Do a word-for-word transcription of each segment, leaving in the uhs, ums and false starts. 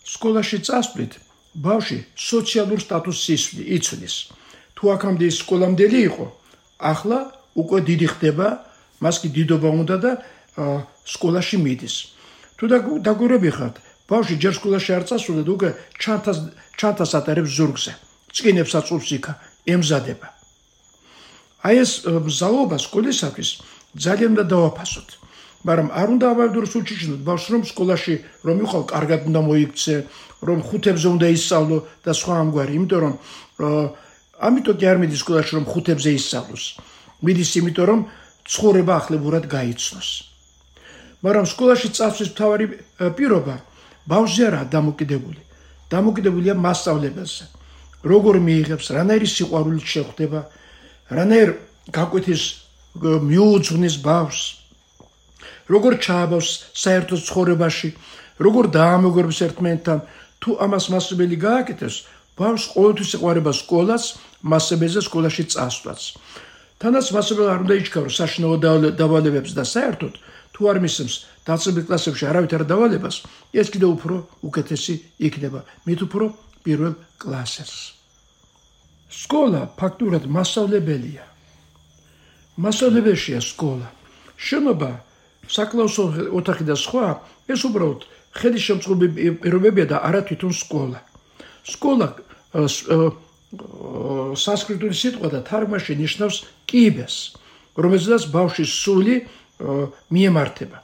სკოლაში წასვლით ბავშვი სოციალურ სტატუსს იცვლის. თუ აქამდე ის სკოლამდელი იყო, ახლა უკვე დიდი ხდება, მას კი დიდობა უნდა და სკოლაში მიდის. თუ დაგვირები ხართ, ბავშვი ჯერ სკოლაში არ წასულდა და უკვე ჩანთას ატარებს ზურგზე, წკინებს აწვობს იქა, ემზადება. აი ეს მზაობა სკოლისათვის ძალიან უნდა დავაფასოთ. მაგრამ არ უნდა ავადუროს უჩიჩნოთ ბავშვს, რომ სკოლაში რომ იყავ, კარგად უნდა მოიქცე, რომ ხუთებზე უნდა ისწავლო და სხვა ამგვარი, იმიტომ რომ ამიტომ კი არ მიდის სკოლაში, რომ ხუთებზე ისწავლოს. მიდის იმიტომ, რომ ცხოვრება ახლებურად გაიცნოს. მაგრამ სკოლაში წასვლის მთავარი პირობა ბავშვზე არაა დამოკიდებული. დამოკიდებულია მასწავლებელზე. როგორ მიიღებს, რანაირი სიყვარულით შეხვდება, რანაირ გაკვეთის მიუძღვნის ბავშვს, როგორ ჩააბავს საერთო ცხოვრებაში, როგორ დაამეგობრებს ერთმანეთთან. თუ ამას მასწავლებელი გააკეთებს, ბავშვს ყოველთვის ეყვარება სკოლას, მასწავლებელზე სკოლაში წასვლაც. თანაც მასწავლებელი არ უნდა იჩქარო საშინაო დავალებებს და საერთოდ თუ არ მისცემს დაწყებულ კლასებში არავითარ დავალებას, ეს კიდევ უფრო უკეთესი იქნება, მით უფრო პირველ კლასებს. სკოლა ფაქტურად მასწავლებელია. მასწავლებელია სკოლა. შენობა, საკლასო ოთახი და სხვა, ეს უბრალოდ ხელისშემწყობი პირობებია და არა თვითონ სკოლა. სკოლა სანსკრიტული სიტყვა და თარგმანში ნიშნავს კიბეს, რომელზედაც ბავშვის სული მიემართება.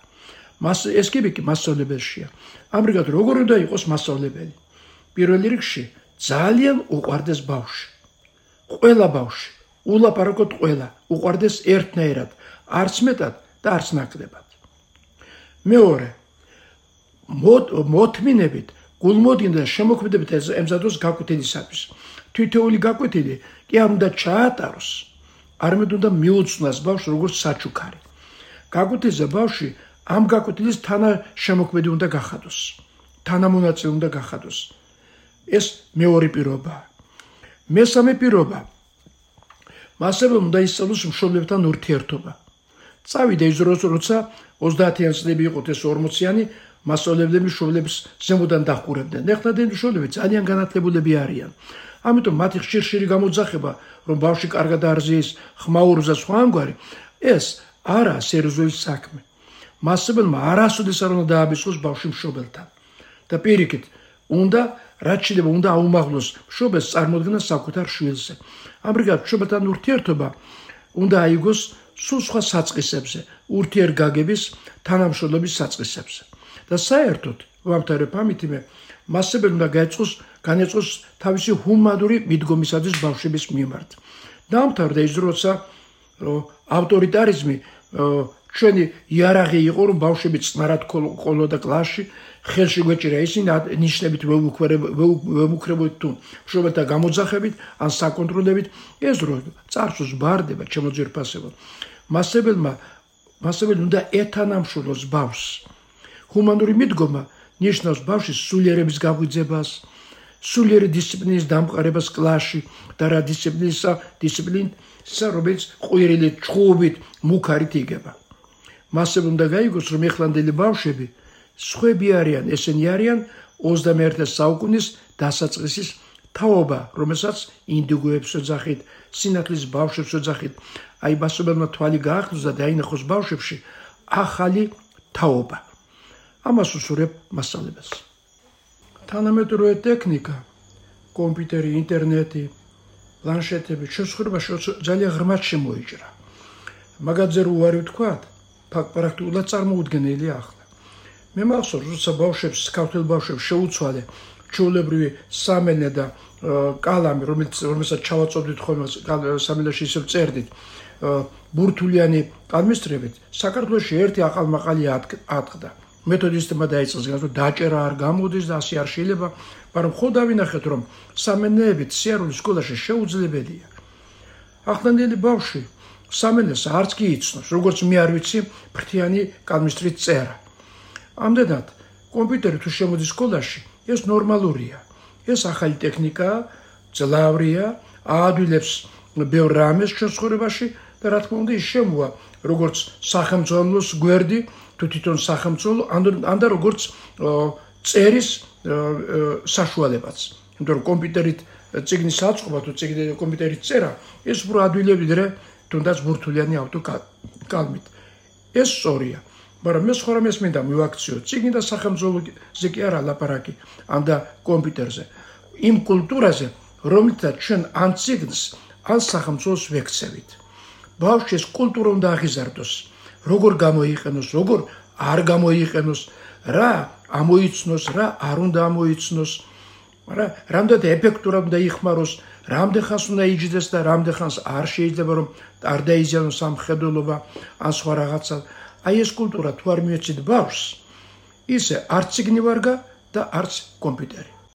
ეს კიბე კი მასწავლებელია. ამრიგად როგორ უნდა იყოს მასწავლებელი? პირველ რიგში ძალიან უყვარდეს ბავშვი. ყველა ბავშვი, ულაპარაკოთ ყველა, უყვარდეს ერთნაირად, არც მეტად და არც ნაკლებად. მეორე, მოთმინებით, გულმოდგინდა და შემოქმედებით ემზადოს გაკვეთილისათვის. თითოეული გაკვეთილი კი არ უნდა ჩაატაროს, არამედ უნდა მიუძღვნას ბავშვს როგორც საჩუქარი. გაკვეთილზე ბავშვი ამ გაკვეთილის თანაშემოქმედი უნდა გახადოს, თანამონაწილე უნდა გახადოს. ეს მეორე პირობაა. მესამე პირობა, მასწავლებელმა უნდა ისწავლოს მშობლებთან ურთიერთობა. წავიდა ის დროს, როცა ოცდაათიანი წლები იყოთ ეს ორმოციანი, მასწავლებლები მშობლებს ზემოდან დაჰყურებდნენ. ეხლადენი მშობლები ძალიან განათლებულები არიან. ამიტომ მათი ხშირ-ხშირი გამოძახება, რომ ბავშვი კარგად არზის, ხმაურობს და სხვა ამგვარი, ეს არაა სერიოზული საქმე. მასწავლებელმა არასოდეს არ უნდა დააბეჭდოს ბავშვი მშობელთან. და პირიქით, უნდა რაც შეიძლება უნდა აუმაღლოს მშობელს წარმოდგენა საკუთარ შვილზე. ამრიგად მშობელთან ურთიერთობა უნდა აიგოს სულ სხვა საწყისებზე, ურთიერთგაგების, თანამშრომლობის საწყისებზე. და საერთოდ ვამთავრებ ამით, მასწავლებელი უნდა გაეწყოს განეწყოს თავისი ჰუმანური მიდგომისათვის ბავშვების მიმართ. დაამთავრდა ის როცა ავტორიტარიზმი ჩვენი იარაღი იყო, რომ ბავშვები წყნარად ყოლოდა კლასში, ხელში გვეჭირა ისინი ნიშნებით ვემუქრებოდით თუ მშობელთა გამოძახებით ან საკონტროლებით, ეს დრო წარსულს ბარდება ჩემო ძვირფასებო. მასწავლებელმა მასწავლებელი უნდა ეთანამშრომლოს ბავშვს. ჰუმანური მიდგომა ნიშნავს ბავშვის სულიერების გაღვიძებას, სულიერი დისციპლინის დამყარებას კლასში და რა დისციპლინისა, დისციპლინისა, რომელიც ყვირილით, ჩხუბით, მუქარით იგება. მასწავლებლმა უნდა გაიგოს, რომ ეხლანდელი ბავშვები სხვები არიან, ესენი არიან ოცდამეერთე საუკუნის დასაწყისის თაობა, რომელსაც ინდიგოებს ოძახით, სინათლის ბავშვებს ოძახით. აი მასწავლებელმა თვალი გაახდოს და დაინახოს ბავშვებში ახალი თაობა. ამას უსურვებ მასწავლებელს. თანამედროვე ტექნიკა, კომპიუტერი, ინტერნეტი, პლანშეტები შესაძლებელია ძალიან ღრმად შემოიჭრა. მაგაზე რო ვარი ვთქვათ, პრაქტიკულად წარმოუდგენელია ახლა. მე მახსოვს, როცა ბავშვებს, ქართველ ბავშვებს შეუცვალე ჩვეულებრივი სამენა და კალამი, რომელსაც ჩავაწოდით ხოლმე სამენაში ისევ წერდით, ბურთულიანი კალმისტრებით, საქართველოში ერთი აყალმაყალი ატყდა. მეთოდისტებმა დაიწყეს, რომ დაჭერა არ გამოდის და ასე არ შეიძლება, მაგრამ ხო დავინახეთ, რომ სამენეებით სიარული სკოლაში შეუძლებელია. ახლანდელი ბავშვი სამენას არც კი იცნობს, როგორც მე არ ვიცი ფრთიანი კალმისტრით წერა. ამდენად, კომპიუტერი თუ შემოდის სკოლაში, ეს ნორმალურია. ეს ახალი ტექნიკაა, ძლავრია, აადვილებს ბევრ რამეს ჩვენ ცხოვრებაში და რა თქმა უნდა ის შემოვა, როგორც სახელმწიფოს გვერდი, თუ თვითონ სახელმწიფო, ან და როგორც წერის საშუალებაც. იმიტომ რომ კომპიუტერით წიგნის აწყობა თუ წიგნი კომპიუტერით წერა, ეს უფრო ადვილი ვიდრე თუნდაც ბურთულიანი ავტოკალმით. ეს სწორია. მაგრამ მე სხვა რამეს მინდა მივაქციო. წიგნი და სახელმწიფოზე კი არა ლაპარაკი, ანდა კომპიუტერზე. იმ კულტურაზე, რომელთაც ჩვენ ან წიგნს, ან სახელმწიფოს ვექცევით. ბავშვი ეს კულტურა უნდა აღიზარდოს. როგორ გამოიყენოს, როგორ არ გამოიყენოს, რა ამოიცნოს, რა არ უნდა ამოიცნოს, მაგრამ რამდენად ეფექტურად უნდა იხმაროს, რამდენ ხანს უნდა იჯდეს და რამდენ ხანს არ შეიძლება რომ არ დაიზიანოს სამხედველობა ან სხვა რაღაცა. აი ეს კულტურა თუ არ მიეცით ბავშვს, ისე არც წიგნი ვარგა და არც კომპიუტერი.